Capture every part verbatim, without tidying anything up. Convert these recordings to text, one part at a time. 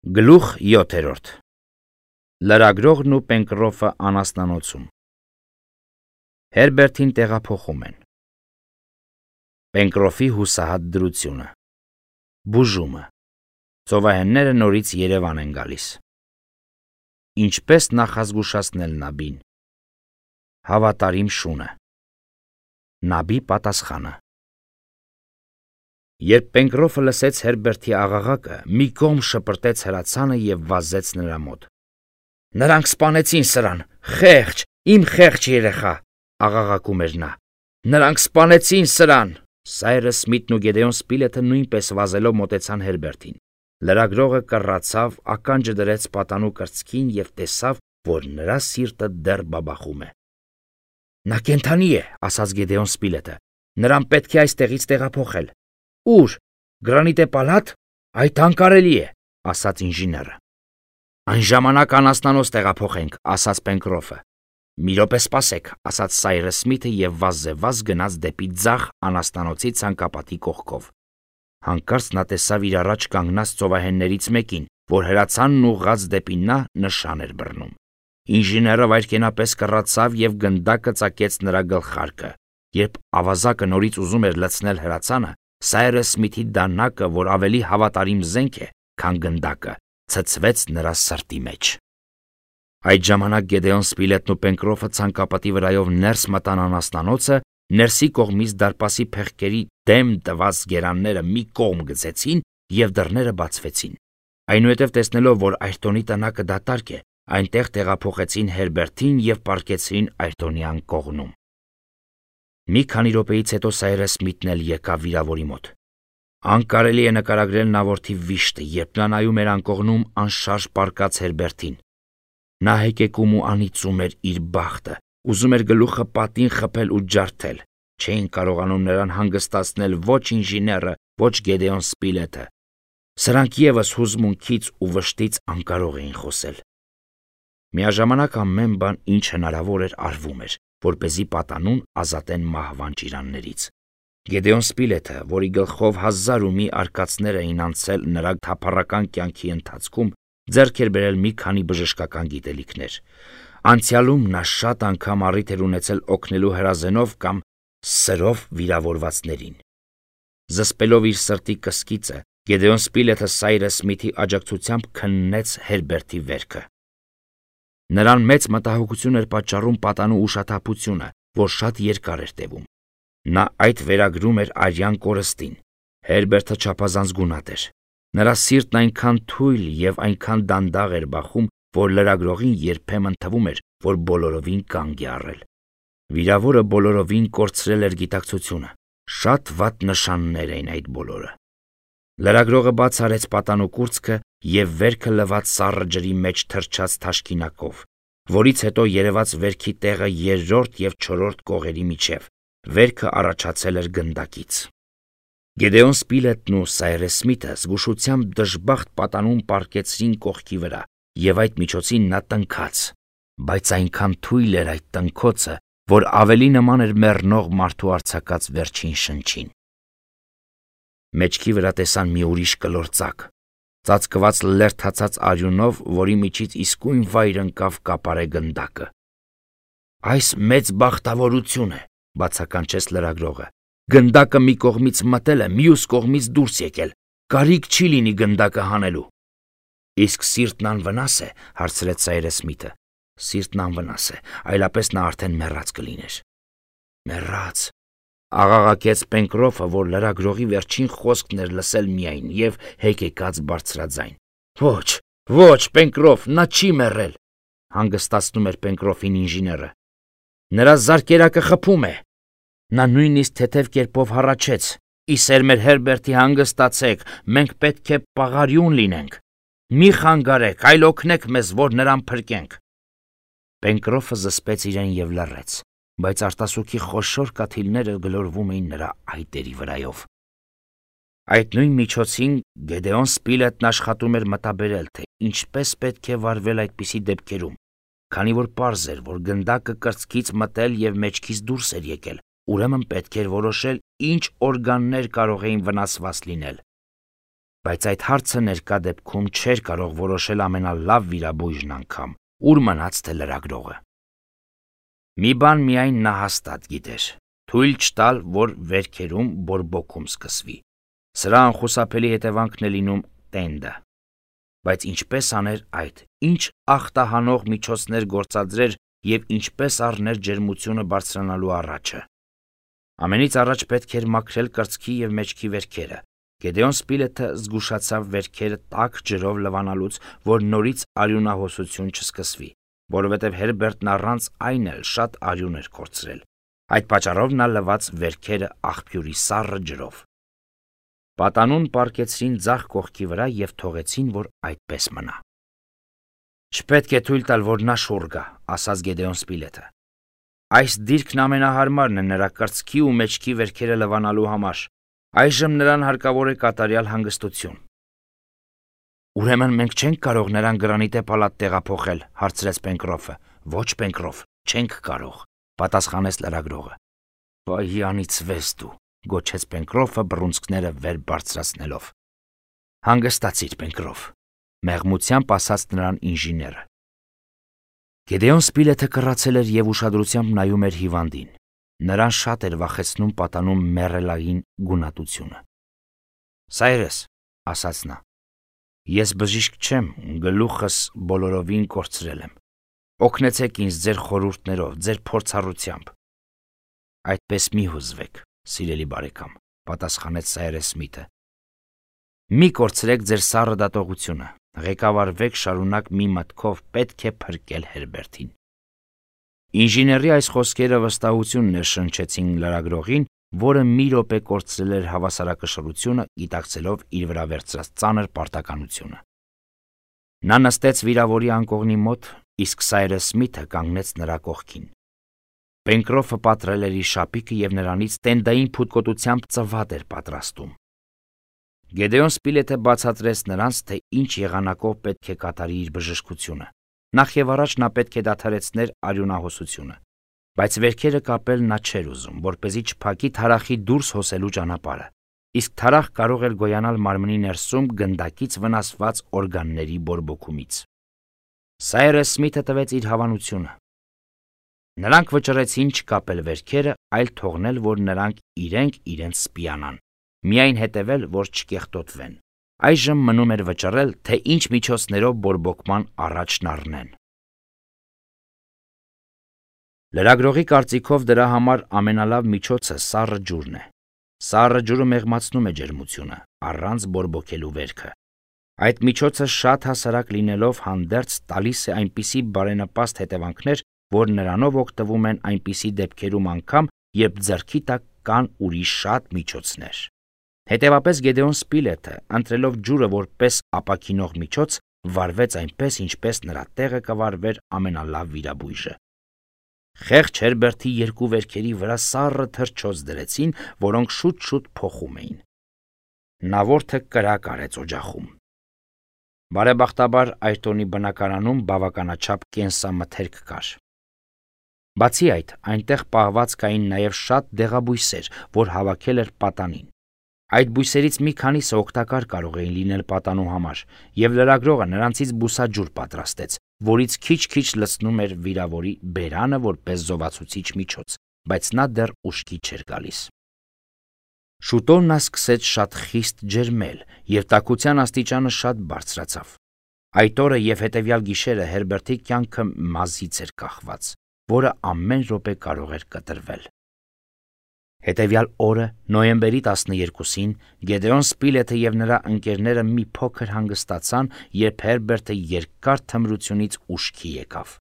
Գլուխ յոթերորդ Լրագրողն ու Պենկրոֆը անասնանոցում Հերբերտին տեղափոխում են Պենկրոֆի հուսահատ դրությունը Բուժումը Ծովահենները նորից Երևան են գալիս Ինչպես նախազգուշացնել Նաբին Հավատարիմ շունը Նաբի պատասխանը Երբ Պենկրոֆը լսեց Հերբերտի աղաղակը, մի կողմ շպրտեց հրացանը և վազեց նրա մոտ։ Նրանք սպանեցին սրան, խեղճ, իմ խեղճ երեխա, աղաղակում էր նա։ Նրանք սպանեցին սրան։ Սայրս Սմիթն ու Գեդեոն Սպիլեթը նույնպես վազելով մոտեցան Հերբերտին։ Լրագրողը կռացավ, ականջը դրեց պատանու կրծքին և տեսավ, որ նրա սիրտը դեռ բաբախում է։ Նա կենդանի է, ասաց Գեդեոն Սպիլեթը։ Նրան պետք է այստեղից տեղափոխել։ Ուր, Գրանիտե պալատ, այդ անկարելի է, ասաց ինժեները։ Այն ժամանակ անասնանոց տեղափոխենք, ասաց Պենկրոֆը։ Մի րոպե սպասեք, ասաց Սայրս Սմիթը և վազզեվազ գնաց դեպի ձախ անասնանոցի ցանկապատի կողքով։ Հանկարծ նա տեսավ իր առաջ կանգնած ծովահեններից մեկին, որ հրացանն ուղղած դեպի նա նշան էր բռնում։ Ինժեները վայրկենապես կռացավ և գնդակը ծակեց նրա գլխարկը։ Երբ ավազակը նորից ուզում էր լցնել հրացանը, Սայրս Սմիթի դանակը, որ ավելի հավատարիմ զենք է, քան գնդակը, ցցվեց նրա սրտի մեջ։ Այդ ժամանակ Գեդեոն Սպիլետն ու Պենկրոֆը ցանկապատի վրայով ներս մտան անասնանոցը, ներսի կողմից դարպասի փեղկերի դեմ տված գերանները մի կողմ գցեցին և դռները բացվեցին։ Այնուհետև տեսնելով, որ Այրտոնի տնակը դատարկ է, այնտեղ տեղափոխեցին Հերբերտին և պառկեցրին Այրտոնյան կողմում։ Մի քանի րոպեից հետո Սայրս Սմիթն էլ եկավ վիրավորի մոտ։ Անկարելի է նկարագրել նա որդի վիշտը, երբ նա նայում էր անկողնում անշարժ պառկած Հերբերտին։ Նա հեկեկում ու անիծում էր իր բախտը, ուզում էր գլուխը պատին խփել ու ջարդել։ Չէին կարողանում նրան հանգստացնել ոչ ինժեները, ոչ Գեդեոն Սպիլեթը։ Սրանք ևս հուզմունքից ու վշտից անկարող էին խոսել։ Միաժամանակ ամեն բան, ինչ հնարավոր էր, արվում էր, որպեսզի պատանուն ազատեն մահվան ճիրաններից։ Գեդեոն Սպիլեթը, որի գլխով հազար ու մի արկածներ էին անցել նրա թափառական կյանքի ընթացքում, ձեռք էր բերել մի քանի բժշկական գիտելիքներ։ Անցյալում նա շատ անգամ առիթ էր ունեցել օգնելու հրազենով կամ սրով վիրավորվածներին։ Զսպելով իր սրտի կսկիծը, Գեդեոն Սպիլեթը Սայրս Սմիթի աջակցությամբ քննեց Հերբերտի վերքը։ Նրան մեծ մտահոգություն էր պատճառում պատանու ուշաթափությունը, որ շատ երկար էր տևում։ Նա այդ վերագրում էր արյան կորստին։ Հերբերտը չափազանց գունատ էր։ Նրա սիրտն այնքան թույլ և այնքան դանդաղ էր բախում, որ լրագրողին երբեմն թվում էր, որ բոլորովին կանգ է առել։ Վիրավորը բոլորովին կորցրել էր գիտակցությունը։ Շատ վատ նշաններ էին այդ բոլորը։ Լրագրողը բաց արեց պատանու կուրծքը և վերքը լված սառը ջրի մեջ թռչած թաշկինակով, որից հետո երևաց վերքի տեղը երրորդ և չորրորդ կողերի միջև։ Վերքը առաջացել էր գնդակից։ Գեդեոն Սպիլետն ու Սայրս Սմիթը զգուշությամբ դժբախտ պատանուն պառկեցրին կողքի վրա, և այդ միջոցին նա տնքաց, բայց այնքան թույլ էր այդ տնքոցը, որ ավելի նման էր մեռնող մարդու արձակած վերջին շնչին։ Մեջքի վրա տեսան մի ուրիշ կլոր ծակ, ծածկված լերդացած արյունով, որի միջից իսկույն վայր ընկավ կապարե գնդակը։ Այս մեծ բախտավորություն է, բացականչեց լրագրողը։ Գնդակը մի կողմից մտել է, մյուս կողմից դուրս եկել։ Կարիք չի լինի գնդակը հանելու։ Իսկ սիրտն անվնաս է, հարցրեց Սայրս Սմիթը։ Սիրտն անվնաս է, այլապես նա արդեն մեռած կլիներ։ Մեռած, աղաղակեց Պենկրոֆը, որ լրագրողի վերջին խոսքն էր լսել միայն և հեկեկած բարձրաձայն։ Ոչ, ոչ, Պենկրոֆ, նա չի մեռել, հանգստացնում էր Պենկրոֆին ինժեները։ Նրա զարկերակը խփում է։ Նա նույնիսկ թեթև կերպով հառաչեց. Ի սեր մեր Հերբերտի հանգստացեք, մենք պետք է պաղարիուն լինենք։ Մի խանգարեք, այլ օգնեք մեզ, որ նրան փրկենք։ Պենկրոֆը զսպեց իրեն և լռեց, բայց արտասուքի խոշոր կաթիլները գլորվում էին նրա այտերի վրայով։ Այդ նույն միջոցին Գեդեոն Սպիլետն աշխատում էր մտաբերել, թե ինչպես պետք է վարվել այդպիսի դեպքերում, քանի որ պարզ էր, որ գնդակը կրծքից մտել և մեջքից դուրս էր եկել, ուրեմն պետք էր որոշել, ինչ օրգաններ կարող էին վնասված լինել։ բայց այդ հարցը ներկա դեպքում չէր կարող որոշել ամենալավ վիրաբույժն անգամ, ուր մնաց թե լրագրողը։ Մի բան միայն նա հաստատ գիտեր. թույլ չտալ, որ վերքերում բորբոքում սկսվի։ Սրա անխուսափելի հետևանքն է լինում տենդը։ Բայց ինչպես աներ այդ, ինչ ախտահանող միջոցներ գործադրեր և ինչպես առներ ջերմությունը բարձրանալու առաջը։ Ամենից առաջ պետք էր մաքրել կրծքի և մեջքի վերքերը։ Գեդեոն Սպիլեթը զգուշացավ վերքերը տաք ջրով լվանալուց, որ նորից արյունահոսություն չսկսվի, որովհետև Հերբերտն առանց այն էլ շատ արյուն էր կորցրել։ Այդ պատճառով նա լվաց վերքերը աղբյուրի սառը ջրով։ Պատանուն պառկեցրին ձախ կողքի վրա և թողեցին, որ այդպես մնա։ Չպետք է թույլ տալ, որ նա շուռ գա, ասաց Գեդեոն Սպիլեթը։ Այս դիրքն ամենահարմարն է նրա կրծքի ու մեջքի վերքերը լվանալու համար։ Այժմ նրան հարկավոր է կատարյալ հանգստություն։ Ուրեմն մենք չենք կարող նրան գրանիտե պալատ տեղափոխել, հարցրեց Պենկրոֆը։ Ոչ, Պենկրոֆ, չենք կարող, պատասխանեց լրագրողը։ Վայ անիծվես դու, գոչեց Պենկրոֆը բռունցքները վեր բարձրացնելով։ Հանգստացիր, Պենկրոֆ, մեղմությամբ ասաց նրան ինժեները։ Գեդեոն Սպիլեթը կռացել էր և ուշադրությամբ նայում էր հիվանդին։ Նրան շատ էր վախեցնում պատանում մեռելային գունատությունը։ Սայրես, ասաց նա, ես բժիշկ չեմ, գլուխս բոլորովին կորցրել եմ։ Օգնեցեք ինձ ձեր խորհուրդներով, ձեր փորձառությամբ։ Այդպես մի հուզվեք, սիրելի բարեկամ, պատասխանեց Սայրես Սմիթը։ Մի կորցրեք ձեր սառը դատողությունը, ղեկավարվեք շարունակ մի մտքով, պետք է փրկել Հերբերտին։ Ինժեների այս խոսքերը վստահություն ներշնչեցին լրագրողին, որը մի րոպե կորցրել էր հավասարակշռությունը, գիտակցելով իր վրա վերցրած ծանր պարտականությունը։ Նա նստեց վիրավորի անկողնի մոտ, իսկ Սայրես Սմիթը կանգնեց նրա կողքին։ Պենկրոֆը պատռել էր իր շապիկը և նրանից տենդային փութկոտությամբ ծվատ էր պատրաստում։ Գեդեոն Սպիլեթը բացատրեց նրանց, թե ինչ եղանակով պետք է կատարի իր բժշկությունը։ Նախ և առաջ նա պետք է դադարեցներ արյունահոսությունը, բայց վերքերը կապել նա չէր ուզում, որպեսզի չփակի թարախի դուրս հոսելու ճանապարհը, իսկ թարախ կարող էր գոյանալ մարմնի ներսում գնդակից վնասված օրգանների բորբոքումից։ Սայրես Սմիթը տվեց իր հավանությունը։ Նրանք վճռեցին չկապել վերքերը, այլ թողնել, որ նրանք իրենք իրենց սպիանան, միայն հետևել, որ չկեղտոտվեն։ Այժմ մնում էր վճռել, թե ինչ միջոցներով բորբոքման առաջն առնեն։ Լրագրողի կարծիքով դրա համար ամենալավ միջոցը սառը ջուրն է։ Սառը ջուրը մեղմացնում է ջերմությունը, առանց բորբոքելու վերքը։ Այդ միջոցը շատ հասարակ լինելով հանդերձ տալիս է այնպիսի բարենպաստ հետևանքներ, որ նրանով օգտվում են այնպիսի դեպքերում անգամ, երբ ձեռքի տակ կան ուրիշ շատ միջոցներ։ Հետևապես Գեդեոն Սպիլեթը, ընտրելով ջուրը որպես ապաքինող միջոց, վարվեց այնպես, ինչպես նրա տեղը կվարվեր ամենալավ վիրաբույժը։ Խեղճ Հերբերտի երկու վերքերի վրա սառը թռչոց դրեցին, որոնք շուտ-շուտ փոխում էին։ Նա որդը կրակ արեց օջախում։ Բարեբախտաբար Այրտոնի բնակարանում բավականաչափ կենսամթերք կար։ Բացի այդ, այնտեղ պահված կային նաև շատ դեղաբույսեր, որ հավաքել էր պատանին։ Այդ բույսերից մի քանիսը օգտակար կարող էին լինել պատանու համար, և լրագրողը նրանցից բուսաջուր պատրաստեց, որից քիչ-քիչ լցնում էր վիրավորի բերանը որպես զովացուցիչ միջոց, բայց նա դեռ ուշքի չէր գալիս։ Շուտով նա սկսեց շատ խիստ ջերմել, և տաքության աստիճանը շատ բարձրացավ։ Այդ օրը և հետևյալ գիշերը Հերբերտի կյանքը մազից էր կախված, որը ամեն րոպե կարող էր կտրվել։ Հետևյալ օրը, նոյեմբերի տասներկուսին, Գեդեոն Սպիլեթը և նրա ընկերները մի փոքր հանգստացան, երբ Հերբերտը երկար թմրությունից ուշքի եկավ։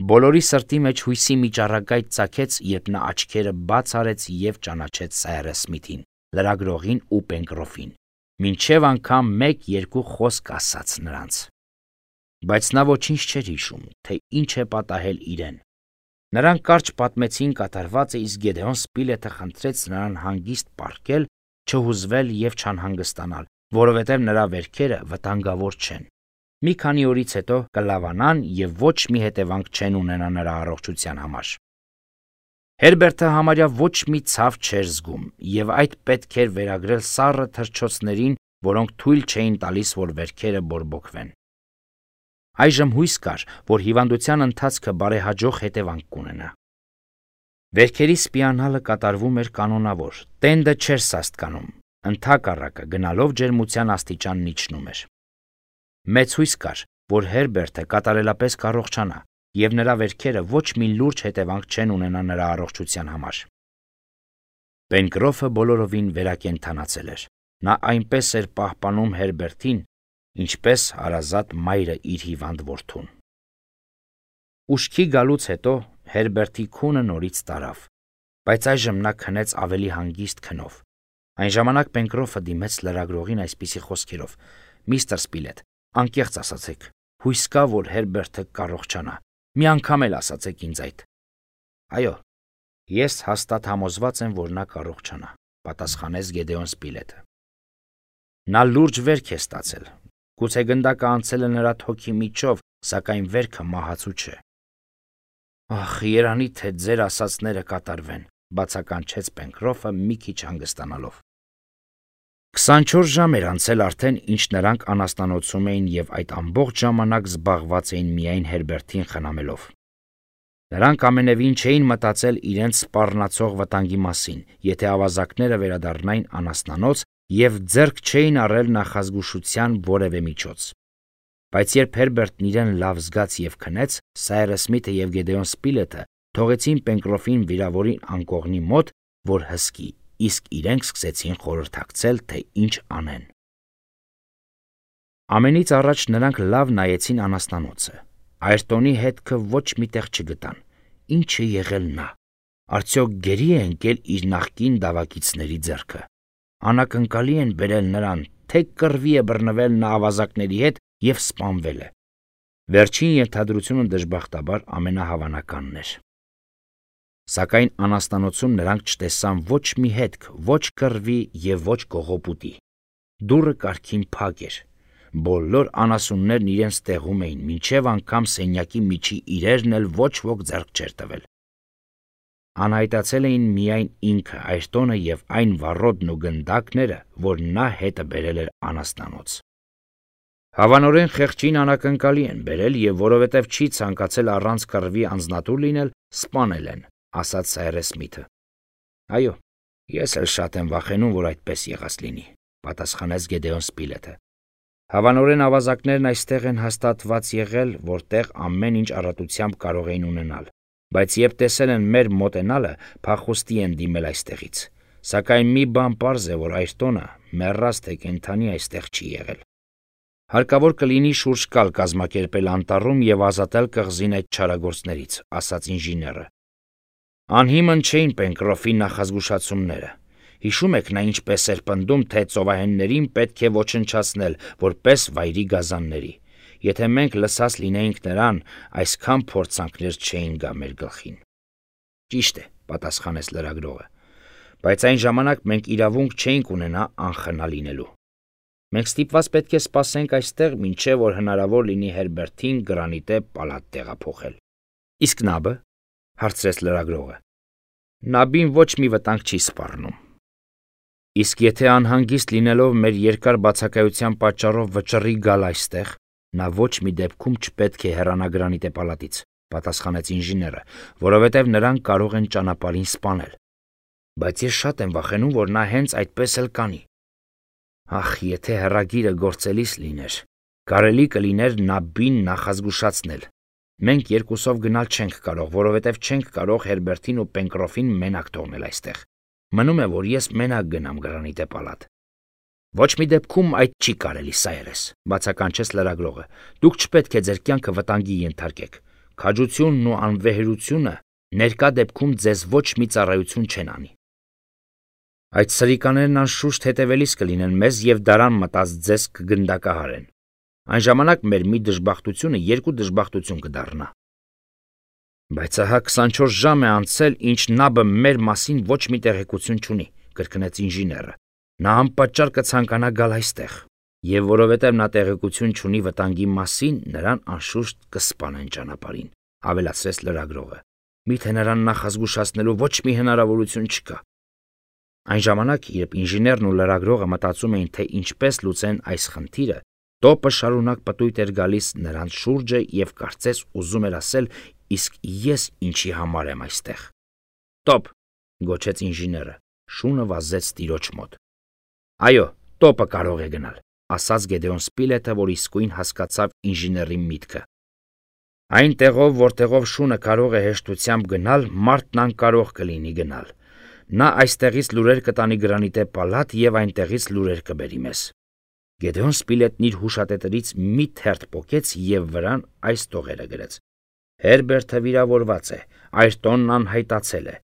Բոլորի սրտի մեջ հույսի մի ճառագայթ ծագեց, երբ նա աչքերը բաց արեց և ճանաչեց Սայրես Սմիթին, լրագրողին ու Պենկրոֆին, մինչև անգամ մեկ-երկու խոսք ասաց նրանց։ Բայց նա ոչինչ չէր հիշում, թե ինչ է պատահել իրեն։ Նրանք կարճ պատմեցին կատարվածը, իսկ Գեդեոն Սպիլեթը խնդրեց նրան հանգիստ պառկել, չհուզվել և չանհանգստանալ, որովհետև նրա վերքերը վտանգավոր չեն։ Մի քանի օրից հետո կլավանան և ոչ մի հետևանք չեն ունենա նրա առողջության համար։ Հերբերտը համարյա ոչ մի ցավ չէր զգում, և այդ պետք էր վերագրել սառը թռչոցներին որոնք թույլ չէին տալիս, որ վերքերը բորբոքվեն։ Այժմ հույս կար, որ հիվանդության ընթացքը բարեհաջող հետևանք կունենա։ Վերքերի սպիանալը կատարվում էր կանոնավոր, տենդը չէր սաստկանում, ընդհակառակը գնալով ջերմության աստիճանն իջնում էր։ Մեծ հույս կար, որ Հերբերտը կատարելապես կառողջանա, և նրա վերքերը ոչ մի լուրջ հետևանք չեն ունենա նրա առողջության համար։ Պենկրոֆը բոլորովին վերակենդանացել էր։ Նա այնպես էր պահպանում Հերբերտին, ինչպես հարազատ մայրը իր հիվանդ որդուն։ Ուշքի գալուց հետո Հերբերտի քունը նորից տարավ, բայց այժմ նա քնեց ավելի հանգիստ քնով։ Այն ժամանակ Պենկրոֆը դիմեց լրագրողին այսպիսի խոսքերով. «Միստր Սպիլետ, անկեղծ ասացեք, հույս կա, որ Հերբերտը կառողջանա։ Մի անգամ էլ ասացեք ինձ այդ»։ «Այո, ես հաստատ համոզված եմ, որ նա կառողջանա», պատասխանեց Գեդեոն Սպիլետը։ Նա լուրջ վերք է ստացել։ Գուցե գնդակը անցել է նրա թոքի միջով, սակայն վերքը մահացու չէ։ «Ախ, երանի թե ձեր ասածները կատարվեն», բացականչեց Պենկրոֆը մի քիչ հանգստանալով։ Քսանչորս ժամ էր անցել արդեն, ինչ նրանք անասնանոցում էին և այդ ամբողջ ժամանակ զբաղված էին միայն Հերբերտին խնամելով։ Նրանք ամենևին չէին մտածել իրենց սպառնացող վտանգի մասին, եթե ավազակները վերադառնային անասնանոց և ձեռք չէին առել նախազգուշության որևէ միջոց։ Բայց երբ Հերբերտն իրեն լավ զգաց և քնեց, Սայրս Սմիթը և Գեդեոն Սպիլետը թողեցին Պենկրոֆին վիրավորին անկողնի մոտ, որ հսկի, իսկ իրենք սկսեցին խորհրդակցել, թե ինչ անեն։ Ամենից առաջ նրանք լավ նայեցին անասնանոցը։ Այրտոնի հետքը ոչ մի տեղ չգտան։ Ինչ է եղել նա։ Արդյոք գերի է ընկել իր նախկին դավակիցների ձեռքը։ Անակնկալի են բերել նրան, թե կռվի է բռնվել նա ավազակների հետ և սպանվել է։ Վերջին ենթադրությունը դժբախտաբար ամենահավանականն էր։ Սակայն անասնանոցում նրանք չտեսան ոչ մի հետք, ոչ կռվի և ոչ կողոպուտի։ Դուռը կարգին փակ էր։ Բոլոր անասուններն իրենց տեղում էին, մինչև անգամ սենյակի միջի իրերն էլ ոչ ոք ձեռք չէր տվել։ Անհայտացել էին միայն ինքը, Այրտոնը և այն վառոդն ու գնդակները, որ նա հետը բերել էր անասնանոց։ Հավանորեն խեղճին անակնկալի են բերել և որովհետև չի ցանկացել առանց կռվի անձնատուր լինել, սպանել են, ասաց Սայրս Սմիթը։ Այո, ես էլ շատ եմ վախենում, որ այդպես եղած լինի, պատասխանեց Գեդեոն Սպիլետը։ Հավանորեն ավազակներն այստեղ են հաստատված եղել, որտեղ ամեն ինչ առատությամբ կարող էին ունենալ, բայց երբ տեսել են մեր մոտենալը, փախուստի են դիմել այստեղից։ Սակայն մի բան պարզ է, որ Այրտոնը մեռած թե կենդանի այստեղ չի եղել։ Հարկավոր կլինի շուրջ կալ կազմակերպել անտառում և ազատել կղզին այդ չարագործներից, ասաց ինժեները։ Անհիմն չէին Պենկրոֆի նախազգուշացումները։ Հիշում եք նա ինչպես էր պնդում, թե ծովահեններին պետք է ոչնչացնել, որպես վայրի գազանների։ Եթե մենք լսած լինեինք նրան, այսքան փորձանքներ չէին գա մեր գլխին։ Ճիշտ է, պատասխանեց լրագրողը, բայց այն ժամանակ մենք իրավունք չէինք ունենա անխնա լինելու։ Մենք ստիպված պետք է սպասենք այստեղ, մինչև որ հնարավոր լինի Հերբերտին գրանիտե պալատ տեղափոխել։ Իսկ նաբը, հարցրեց լրագրողը։ Նաբին ոչ մի վտանգ չի սպառնում։ Իսկ եթե անհանգիստ լինելով մեր երկար բացակայության պատճառով վճռի գալ այստեղ, նա ոչ մի դեպքում չպետք է հեռանա գրանիտե պալատից, պատասխանեց ինժեները, որովհետև նրանք կարող են ճանապարհին սպանել։ Բայց ես շատ եմ վախենում, որ նա հենց այդպես էլ կանի։ Ախ, եթե հեռագիրը գործելիս լիներ, կարելի կլիներ Նաբին նախազգուշացնել։ Մենք երկուսով գնալ չենք կարող, որովհետև չենք կարող Հերբերտին ու Պենկրոֆին մենակ թողնել այստեղ։ Մնում է, որ ես մենակ գնամ գրանիտե պալատ։ Ոչ մի դեպքում այդ չի կարելի, Սայրես, բացականչեց լրագրողը։ Դուք չպետք է ձեր կյանքը վտանգի ենթարկեք։ Քաջությունն ու անվեհերությունը ներկա դեպքում ձեզ ոչ մի ծառայություն չեն անի։ Այդ սրիկաներն անշուշտ հետևելիս կլինեն մեզ և դարան մտած ձեզ կգնդակահարեն։ Այն ժամանակ մեր մի դժբախտությունը երկու դժբախտություն կդառնա։ Բայց ահա քսանչորս ժամ է անցել, ինչ նաբը մեր մասին ոչ մի տեղեկություն չունի, կրկնեց ինժեները։ Նա անպատճառ կցանկանա գալ այստեղ, և որովհետև նա տեղեկություն չունի վտանգի մասին, նրան անշուշտ կսպանեն ճանապարհին, ավելացրեց լրագրողը։ Միթե նրան նախազգուշացնելու ոչ մի հնարավորություն չկա։ Այն ժամանակ, երբ ինժեներն ու լրագրողը մտածում էին, թե ինչպես լուծեն այս խնդիրը, տոպը շարունակ պտույտ էր գալիս նրանց շուրջը եւ կարծես ուզում էր ասել. «Իսկ ես ինչի համար եմ այստեղ»։ «Տոպ», գոչեց ինժեները, շունը վազեց տիրոջ մոտ։ «Այո, տոպը կարող է գնալ», ասաց Գեդեոն Սպիլեթը, որ իսկույն հասկացավ ինժեների միտքը։ «Այն տեղով, որտեղով շունը կարող է հեշտությամբ գնալ, մարդն անկարող կլինի գնալ։ Նա այստեղից լուրեր կտանի Գրանիտե պալատ եւ այնտեղից լուրեր կբերի մեզ»։ Գեդեոն Սպիլետն իր հուշատետերից մի թերթ պոկեց եւ վրան այս տողերը գրեց. «Հերբերտը վիրավորված է, Այրտոնն անհայտացել է,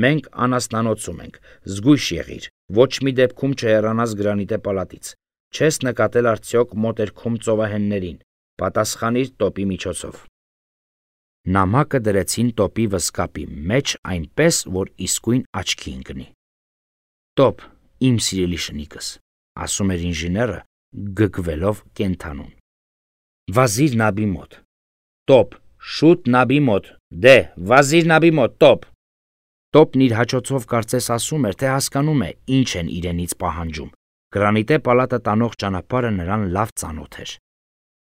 մենք անասնանոցում ենք, զգույշ եղիր, ոչ մի դեպքում չհեռանաս Գրանիտե պալատից, չես նկատել արդյոք մոտերքում ծովահեններին, պատասխանիր տոպի միջոցով»։ Նամակը դրեցին տոպի վսկապի մեջ այնպես, որ իսկույն աչքի ընկնի։ «Տոպ, իմ սիրելի շնիկս», ասում էր ինժեները, գգվելով կենթանուն։ «Վազիր նաբի մոտ»։ «Տոպ, շուտ նաբի մոտ, դե, վազիր նաբի մոտ, տոպ»։ Տոպն իր հաճոցով կարծես ասում էր, թե հասկանում է, ինչ են իրենից պահանջում։ Գրանիտե պալատը տանող ճանապարհը նրան լավ ծանոթ էր։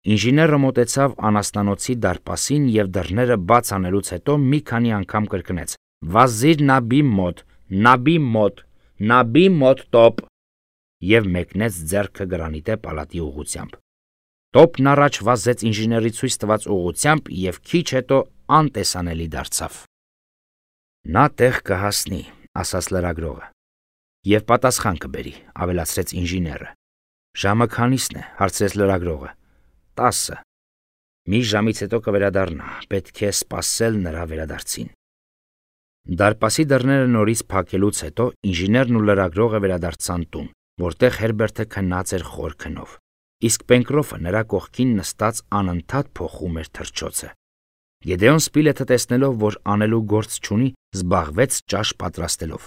Ինժեները մոտեցավ անասնանոցի դարպասին եւ դռները բաց անելուց հետո մի քանի անգամ կրկնեց. «Վազիր նաբի մոտ, նաբի մոտ, նաբի մոտ, տոպ», եւ մեկնեց ձեռքը Գրանիտե պալատի ուղղությամբ։ Տոպն առաջ վազեց ինժեների ցույց տված ուղղությամբ եւ քիչ հետո անտեսանելի դարձավ։ «Նա տեղ կհասնի», ասաց լրագրողը։ «Եվ պատասխան կբերի», ավելացրեց ինժեները։ «Ժամը քանիսն է», հարցրեց լրագրողը։ «Տասը»։ «Մի ժամից հետո կվերադառնա, պետք է սպասել նրա վերադարձին»։ Դարպասի դռները նորից փակելուց հետո ինժեներն ու լրագրողը վերադարձան տուն, որտեղ Հերբերտը քնած էր խոր քնով, իսկ Պենկրոֆը նրա կողքին նստած անընդհատ փոխում էր թռչոցը։ Գեդեոն Սպիլեթը տեսնելով, որ անելու գործ չունի, զբաղվեց ճաշ պատրաստելով,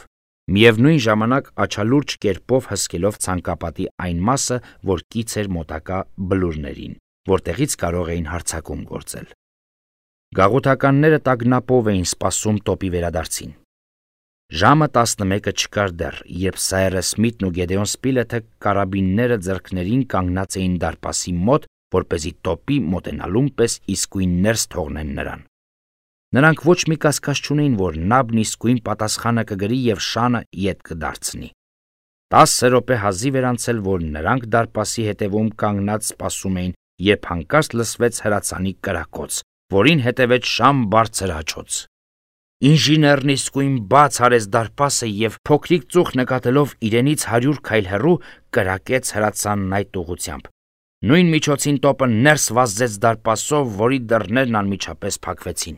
միևնույն ժամանակ աչալուրջ կերպով հսկելով ցանկապատի այն մասը, որ կից էր մոտակա բլուրներին, որտեղից կարող էին հարձակում գործել։ Գաղութականները տագնապով էին սպասում տոպի վերադարձին։ Ժամը տասնմեկը չկար դեռ, երբ Սայրս Սմիթն ու Գեդեոն Սպիլեթը կարաբինները ձեռքներին կանգնած էին դարպասի մոտ, որպեսզի տոպի մոտենալուն պես իսկույն ներս թողնեն նրան։ Նրանք ոչ մի կասկած չունեին, որ նաբն իսկույն պատասխանը կգրի եւ շանը ետ կդարձնի։ Տասը րոպե հազիվ էր անցել, որ նրանք դարպասի հետևում կանգնած սպասում էին, երբ հանկարծ լսվեց հրացանի կրակոց, որին հետևեց շան բարձր հաչոց։ Ինժեներն իսկույն բաց արեց դարպասը եւ փոքրիկ ծուխ նկատելով իրենից հարյուր քայլ հեռու կրակեց հրացանն այդ ուղղությամբ։ Նույն միջոցին տոպը ներս վազեց դարպասով, որի դռներն անմիջապես փակվեցին։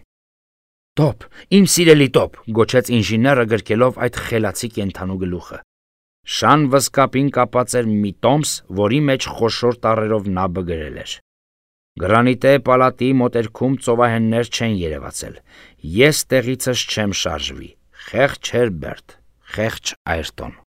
«Տոպ, իմ սիրելի տոպ», գոչեց ինժեները գրկելով այդ խելացի կենդանու գլուխը։ Շան վսկապին կապած էր մի տոմս, որի մեջ խոշոր տառերով նաբը գրել էր. «Գրանիտե պալատի մոտերքում ծովահեններ չեն երևացել։ Ես տեղիցս չեմ շարժվի։ Խեղճ Հերբերտ, խեղճ Այրտոն»։